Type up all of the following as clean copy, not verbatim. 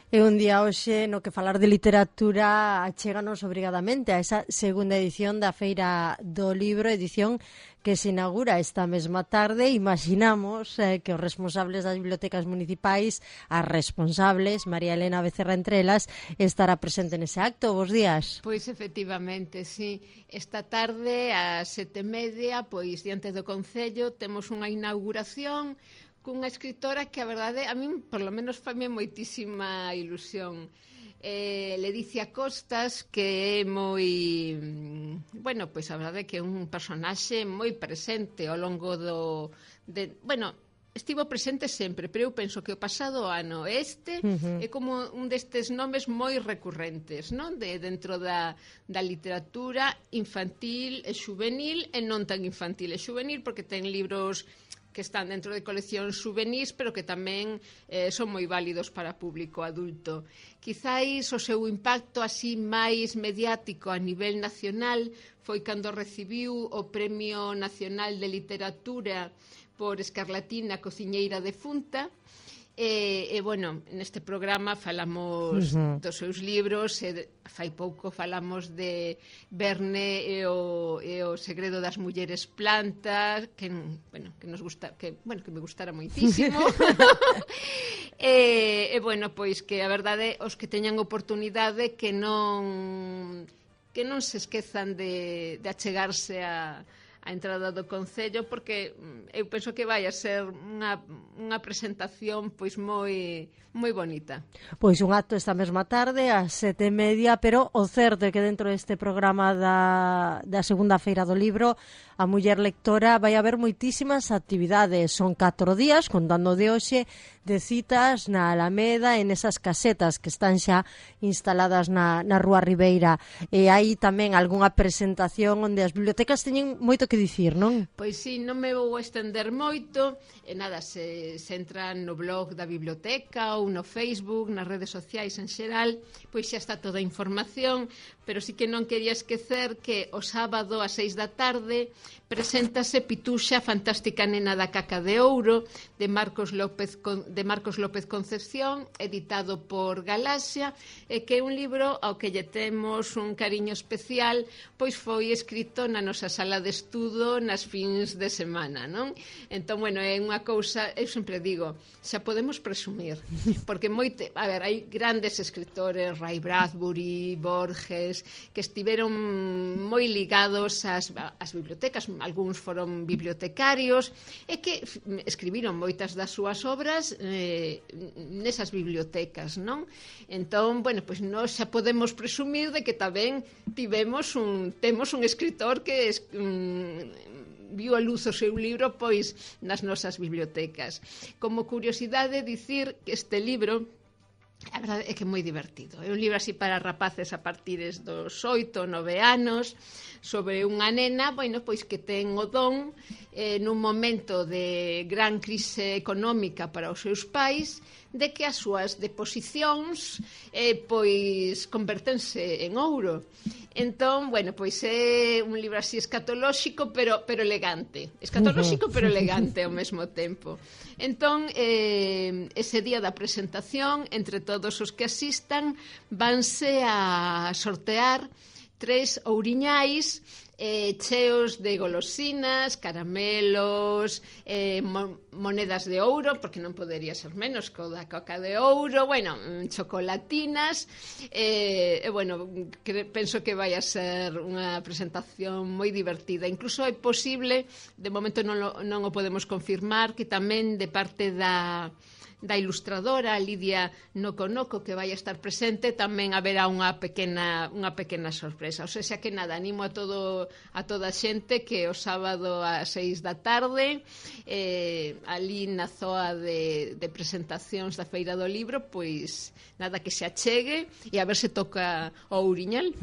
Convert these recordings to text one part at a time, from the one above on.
É un día hoxe no que falar de literatura achéganos obrigadamente a esa segunda edición da Feira do Libro, edición que se inaugura esta mesma tarde. Imaginamos que os responsables das bibliotecas municipais, as responsables, María Elena Becerra entre elas, estará presente nese acto. Bos días. Pois efectivamente, sí. Esta tarde, ás 7:30, pois diante do Concello, temos unha inauguración cunha escritora que a verdade a min por lo menos faime moitísima ilusión. Ledicia Costas, que é moi, bueno, pois a verdade que é un personaxe moi presente ao longo estivo presente sempre, pero eu penso que o pasado ano é como un destes nomes moi recurrentes, non? Dentro da literatura infantil e xuvenil, e non tan infantil e xuvenil, porque ten libros que están dentro de coleccións xuvenís, pero que tamén son moi válidos para público adulto. Quizáis o seu impacto así máis mediático a nivel nacional foi cando recibiu o Premio Nacional de Literatura por Escarlatina, cociñeira defunta. Bueno, neste programa falamos dos seus libros, fai pouco falamos de Verne e o segredo das mulleres plantas, que nos gusta, que me gustara moitísimo. Bueno, pois que a verdade os que teñan oportunidade que non se esquezan de achegarse a entrada do Concello, porque eu penso que vai a ser unha presentación pois moi bonita. Pois un acto esta mesma tarde ás 7:30, pero o certo é que dentro deste programa da segunda Feira do Libro, a muller lectora, vai haber moitísimas actividades. Son 4 días, contando de hoxe, de citas na Alameda, en esas casetas que están xa instaladas na Rúa Ribeira. E hai tamén algunha presentación onde as bibliotecas teñen moito que dicir, non? Pois sí, non me vou estender moito. Nada, se entran no blog da biblioteca ou no Facebook, nas redes sociais en xeral, pois xa está toda a información, pero sí que non quería esquecer que o sábado ás 6 da tarde preséntase Pituxa, fantástica nena da caca de ouro, de Marcos López Concepción, editado por Galaxia, que é un libro ao que lle temos un cariño especial, pois foi escrito na nosa sala de estudo nas fins de semana, non? Entón, bueno, é unha cousa, eu sempre digo, xa podemos presumir, porque hai grandes escritores, Ray Bradbury, Borges, que estiveron moi ligados ás bibliotecas, algúns foron bibliotecarios, e que escribiron moitas das súas obras nesas bibliotecas, non? Entón, bueno, pois nós xa podemos presumir de que tamén temos un escritor que viu a luz o seu libro pois nas nosas bibliotecas. Como curiosidade, dicir que este libro a verdade é que é moi divertido. É un libro así para rapaces a partir dos 8 ou 9 anos, sobre unha nena, bueno, pois que ten o don nun momento de gran crise económica para os seus pais, de que as súas deposicións pois convertense en ouro. Entón, bueno, pois é un libro así escatolóxico, pero elegante. Escatolóxico, pero elegante ao mesmo tempo. Entón, ese día da presentación, entre todos os que asistan, vanse a sortear 3 ouriñais cheos de golosinas, caramelos, monedas de ouro, porque non podería ser menos co da coca de ouro, bueno, chocolatinas, bueno, penso que vai a ser unha presentación moi divertida. Incluso é posible, de momento non o podemos confirmar, que tamén de parte da ilustradora Lidia Noconoco, que vai a estar presente, tamén haberá unha pequena sorpresa. O sea que nada, animo a toda a xente que o sábado ás 6 da tarde ali na zoa de presentacións da Feira do Libro, pois nada, que se achegue e a ver se toca o ouriñal.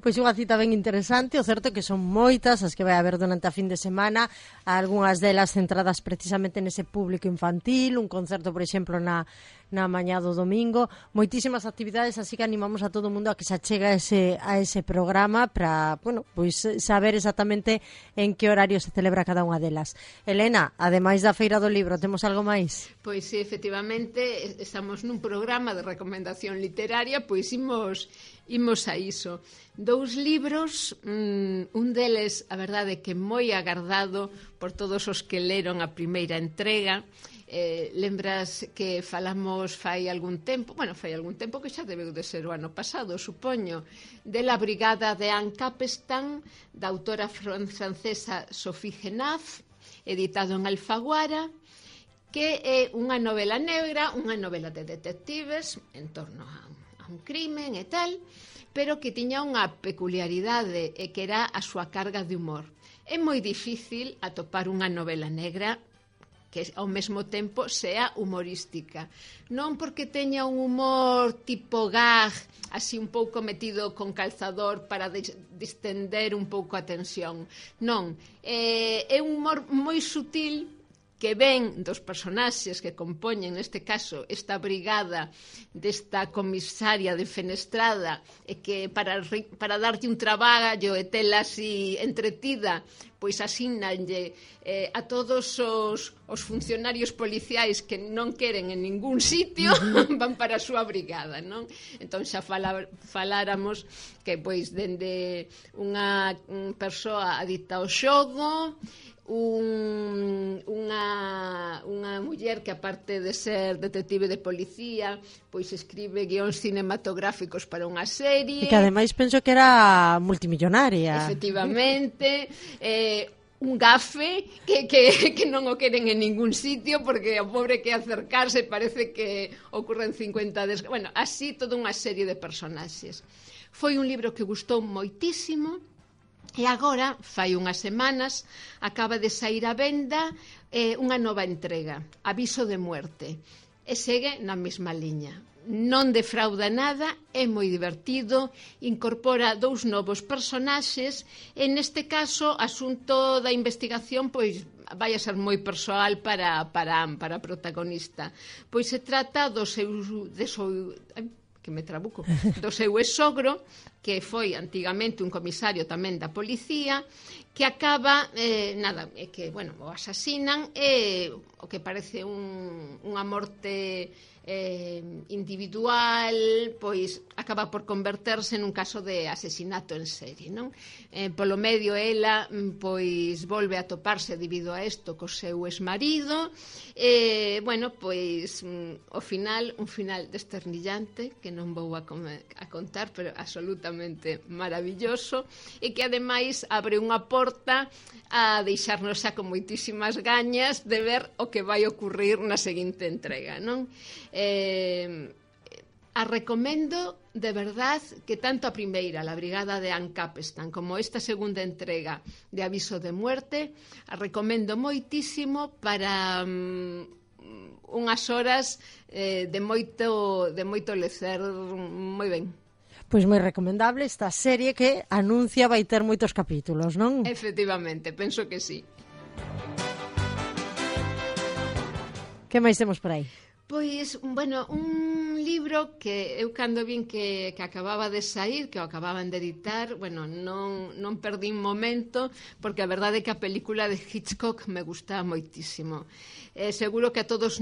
Pois unha cita ben interesante. O certo é que son moitas as que vai haber durante a fin de semana, algunhas delas centradas precisamente nese público infantil, un concerto, por exemplo, exemplo, na mañá do domingo, moitísimas actividades, así que animamos a todo o mundo a que se achegue a ese programa para, bueno, pois saber exactamente en que horario se celebra cada unha delas. Elena, ademais da Feira do Libro, temos algo máis? Pois sí, efectivamente, estamos nun programa de recomendación literaria, pois imos a iso. 2 libros, un deles, a verdade, que moi agardado por todos os que leron a primeira entrega. Lembras que falamos fai algún tempo que xa debeu de ser o ano pasado, supoño, de La Brigada de Anne Capstan, da autora francesa Sophie Genaf, editado en Alfaguara, que é unha novela negra, unha novela de detectives en torno a un crimen e tal, pero que tiña unha peculiaridade e que era a súa carga de humor. É moi difícil atopar unha novela negra que ao mesmo tempo sea humorística. Non porque teña un humor tipo gag, así un pouco metido con calzador para distender un pouco a tensión. Non, é un humor moi sutil que ven dos personaxes que compoñen, neste caso, esta brigada desta comisaria defenestrada, e que para darlle un traballo e tela así entretida, pois asignanlle a todos os funcionarios policiais que non queren en ningún sitio, van para a súa brigada, non? Entón xa faláramos que pois dende unha persoa adicta ao xogo, unha muller que, aparte de ser detective de policía, pois escribe guións cinematográficos para unha serie, e que ademais penso que era multimillonaria. Efectivamente, un gafe que non o queren en ningún sitio, porque o pobre que acercarse parece que ocurren 50 bueno, así toda unha serie de personaxes. Foi un libro que gustou moitísimo. E agora, fai unhas semanas, acaba de sair a venda unha nova entrega, Aviso de muerte, e segue na mesma liña. Non defrauda nada, é moi divertido, incorpora 2 novos personaxes, e neste caso, asunto da investigación, pois vai a ser moi persoal para a protagonista. Pois se trata do seu exsogro, que foi antigamente un comisario tamén da policía, que acaba, o asasinan, e o que parece unha morte individual, pois acaba por converterse nun caso de asesinato en serie, non? Polo medio ela, pois volve a toparse debido a isto co seu exmarido, pois o final, un final desternillante que non vou a contar, pero absolutamente maravilloso, e que ademais abre unha porta a deixarnos xa con moitísimas gañas de ver o que vai ocurrir na seguinte entrega, non? A recomendo de verdad, que tanto a primeira, La Brigada de Anne Capstan, como esta segunda entrega de Aviso de muerte, a recomendo moitísimo para unhas horas de moito lecer, moi ben. Pois moi recomendable esta serie que anuncia vai ter moitos capítulos, non? Efectivamente, penso que sí. Que máis temos por aí? Pois, un libro que eu cando vin que acababa de sair, que o acababan de editar, non perdín momento, porque a verdade é que a película de Hitchcock me gusta moitísimo. Seguro que a todos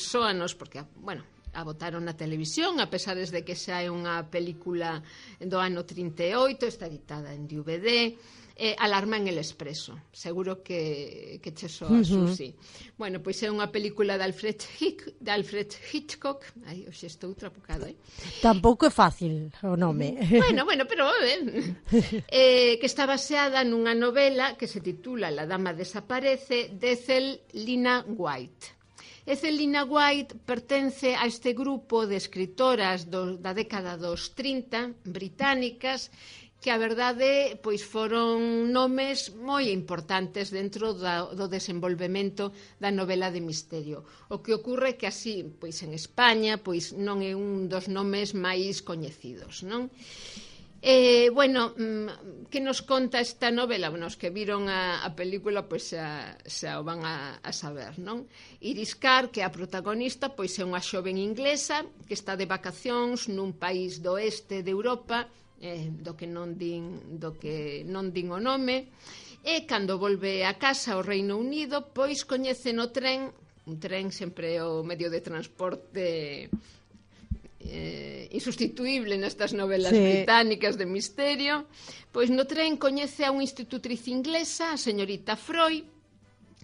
soanos, porque, a botaron na televisión, a pesar de que xa é unha película do ano 38, está editada en DVD, Alarma en el Expreso. Seguro que che soa, Susi. Pois é unha película de Alfred Hitchcock. Ai, hoxe estou trapucado, Tampouco é fácil o nome. Pero que está baseada nunha novela que se titula La dama desaparece, de Ethel Lina White. Ethel Lina White pertence a este grupo de escritoras da década dos 30, británicas, que a verdade pois foron nomes moi importantes dentro do desenvolvemento da novela de misterio. O que ocorre que así, pois en España, pois non é un dos nomes máis coñecidos, non? Bueno, que nos conta esta novela? Bueno, os que viron a película pois xa o van a saber, non? Iris Carr, que é a protagonista, pois é unha xoven inglesa que está de vacacións nun país do oeste de Europa, do que non din o nome, e cando volve a casa ao Reino Unido, pois coñece no tren, un tren sempre é o medio de transporte insustituible nestas novelas británicas de misterio, pois no tren coñece a unha institutriz inglesa, a señorita Freud,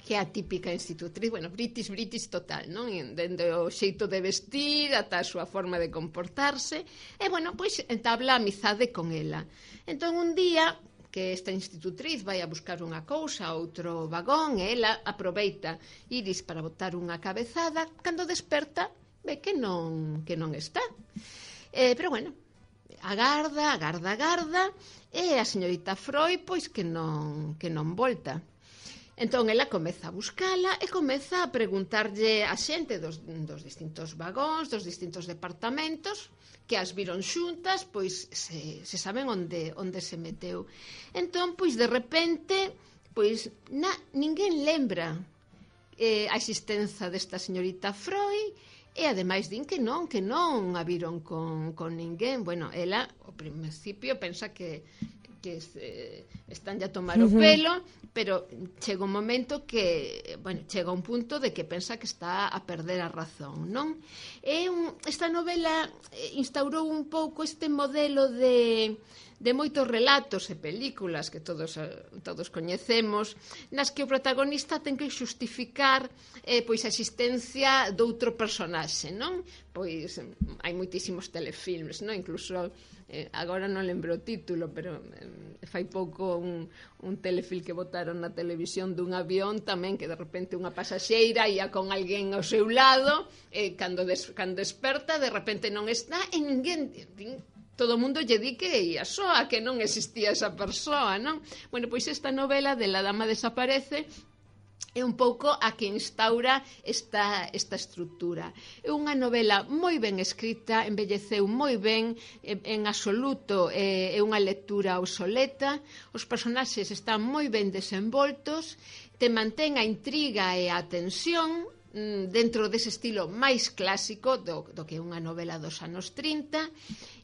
que é a típica institutriz, bueno, British total, non? Dende o xeito de vestir ata a súa forma de comportarse, e, bueno, pois entabla amizade con ela. Entón, un día que esta institutriz vai a buscar unha cousa a outro vagón, e ela aproveita Iris para botar unha cabezada, cando desperta ve que non está. Pero, bueno, agarda, e a señorita Freud, pois, que non volta. Entón, ela comeza a buscala e comeza a preguntarlle a xente dos distintos vagóns, dos distintos departamentos, que as viron xuntas, pois, se saben onde se meteu. Entón, pois, de repente, pois, ninguén lembra a existencia desta señorita Freud, e ademais din que non a viron con ninguén. Bueno, ela ao principio pensa que están a tomar o pelo, pero chega un momento que, bueno, chega un punto de que pensa que está a perder a razón, non? Esta novela instaurou un pouco este modelo de moitos relatos e películas que todos coñecemos, nas que o protagonista ten que xustificar pois a existencia doutro personaxe, non? Pois hai moitísimos telefilmes, non? Incluso agora non lembro o título, pero fai pouco un telefilm que botaron na televisión dun avión tamén, que de repente unha pasaxeira ia con alguén ao seu lado, cando desperta de repente non está, e ninguén todo o mundo lle di que ia soa, que non existía esa persoa, non? Bueno, pois esta novela de La dama desaparece é un pouco a que instaura esta estrutura. É unha novela moi ben escrita, envelleceu moi ben, en absoluto é unha lectura obsoleta, os personaxes están moi ben desenvoltos, te mantén a intriga e a tensión dentro dese estilo máis clásico do que é unha novela dos anos 30.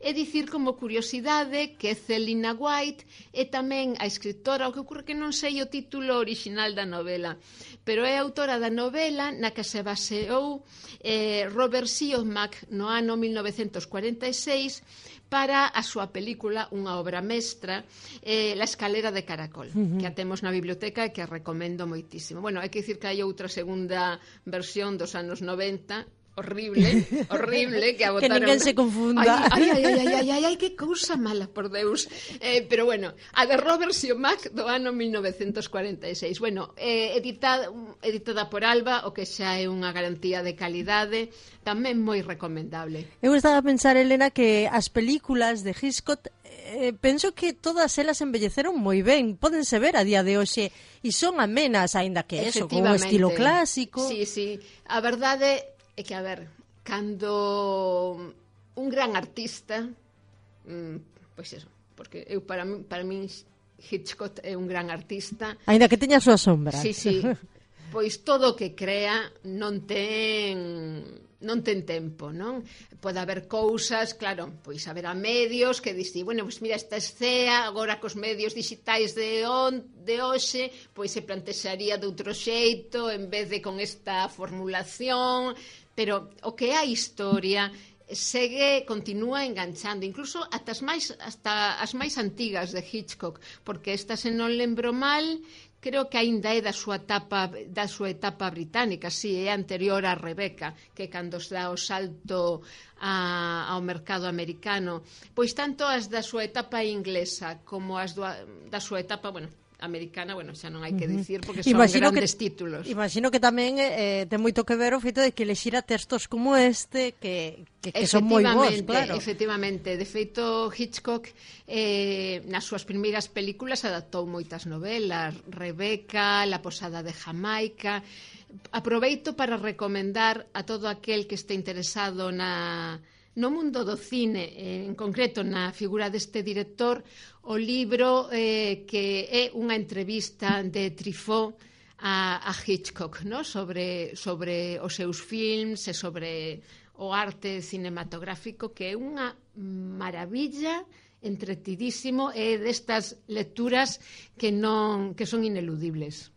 É dicir, como curiosidade, que Celina White é tamén a escritora, o que ocorre que non sei o título original da novela, pero é a autora da novela na que se baseou Robert Siodmak no ano 1946 para a súa película, unha obra mestra, La escalera de caracol, que a temos na biblioteca e que a recomendo moitísimo. Bueno, hai que dicir que hai outra segunda versión dos anos 90, horrible, que a botaron... Que ninguén se confunda. Ai, que cousa mala, por Deus. Pero bueno, a de Robert Siodmak do ano 1946. Bueno, editada por Alba, o que xa é unha garantía de calidade, tamén moi recomendable. Eu estaba a pensar, Elena, que as películas de Hitchcock penso que todas elas embelleceron moi ben, pódense ver a día de hoxe e son amenas, aínda que eso, con un estilo clásico. Sí, a verdade é que, a ver, cando un gran artista, pois eso, porque eu para min Hitchcock é un gran artista. Aínda que teña a súa sombra. Sí, pois todo o que crea non ten tempo, non? Pode haber cousas, claro, pois haberá medios que dicir, bueno, pois mira, esta escena agora cos medios digitais de hoxe, pois se plantexaría de outro xeito en vez de con esta formulación, pero o que é a historia continúa enganchando, incluso hasta as máis antigas de Hitchcock, porque esta, se non lembro mal, creo que aínda é da súa etapa británica, si, é anterior a Rebecca, que cando se dá o salto ao mercado americano, pois tanto as da súa etapa inglesa como as da súa etapa, bueno, americana, bueno, xa non hai que dicir, porque son grandes títulos. Imagino que tamén ten moito que ver o feito de que elexira textos como este que son moi bons, claro. Efectivamente, de feito Hitchcock nas súas primeiras películas adaptou moitas novelas, Rebecca, La posada de Jamaica. Aproveito para recomendar a todo aquel que este interesado No mundo do cine, en concreto na figura deste director, o libro que é unha entrevista de Truffaut a Hitchcock, no? sobre os seus films e sobre o arte cinematográfico, que é unha maravilla, entretidísimo, e destas lecturas que son ineludibles.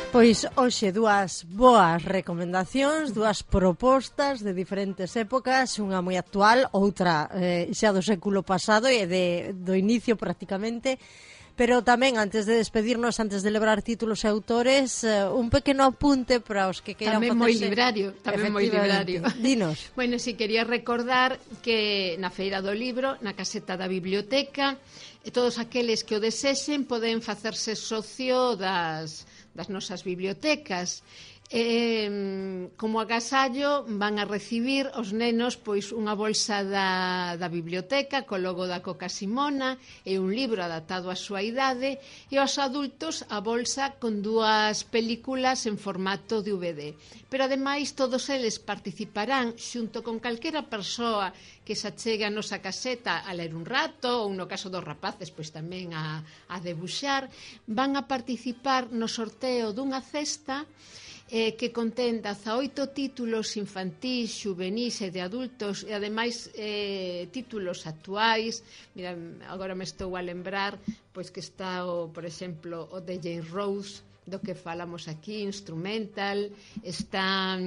Pois hoxe dúas boas recomendacións, dúas propostas de diferentes épocas, unha moi actual, outra xa do século pasado e do inicio prácticamente, pero tamén antes de despedirnos, antes de lebrar títulos e autores, un pequeno apunte para os que queiran facerse... Tamén moi librario. Dinos. Bueno, si quería recordar que na Feira do Libro, na caseta da biblioteca, todos aqueles que o desexen poden facerse socio das nosas bibliotecas. Como agasallo van a recibir os nenos pois unha bolsa da biblioteca co logo da Coca Simona e un libro adaptado á súa idade, e aos adultos a bolsa con 2 películas en formato DVD. Pero ademais todos eles participarán xunto con calquera persoa que se achegue a nosa caseta a ler un rato, ou no caso dos rapaces pois tamén a debuxar, van a participar no sorteo dunha cesta que contén 18 títulos infantís, xuvenís e de adultos, e ademais títulos actuais. Mira, agora me estou a lembrar pois que está, por exemplo, o de Jane Rose, do que falamos aquí, instrumental, está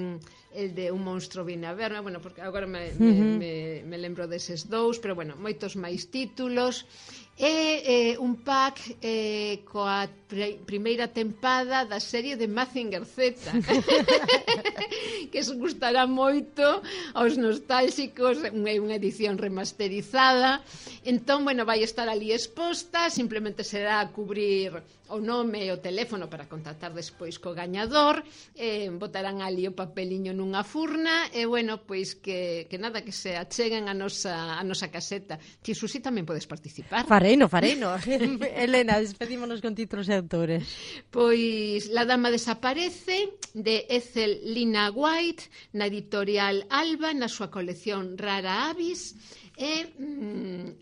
el de Un monstro viene a verme, bueno, porque agora me lembro deses 2, pero bueno, moitos máis títulos. É un pack coa primeira tempada da serie de Mazinger Z que se gustará moito aos nostálxicos. É unha edición remasterizada, entón, bueno, vai estar ali exposta, simplemente será cubrir o nome e o teléfono para contactar despois co gañador, botarán ali o papeliño nunha furna, e bueno, pois que nada, que se acheguen a nosa caseta. Ti, Susi, tamén podes participar. Fareino. Elena, despedímonos con títulos e autores. Pois La dama desaparece, de Ethel Lina White, na editorial Alba, na súa colección Rara Avis. É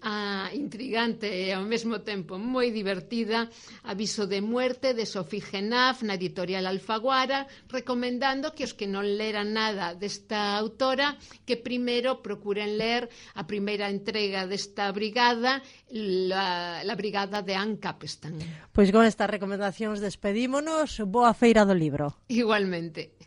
a intrigante e ao mesmo tempo moi divertida Aviso de muerte, de Sophie Genaf, na editorial Alfaguara, recomendando que os que non leran nada desta autora, que primeiro procuren ler a primeira entrega desta brigada, la brigada de Anne Capstan. Pois con estas recomendacións despedímonos. Boa Feira do Libro. Igualmente.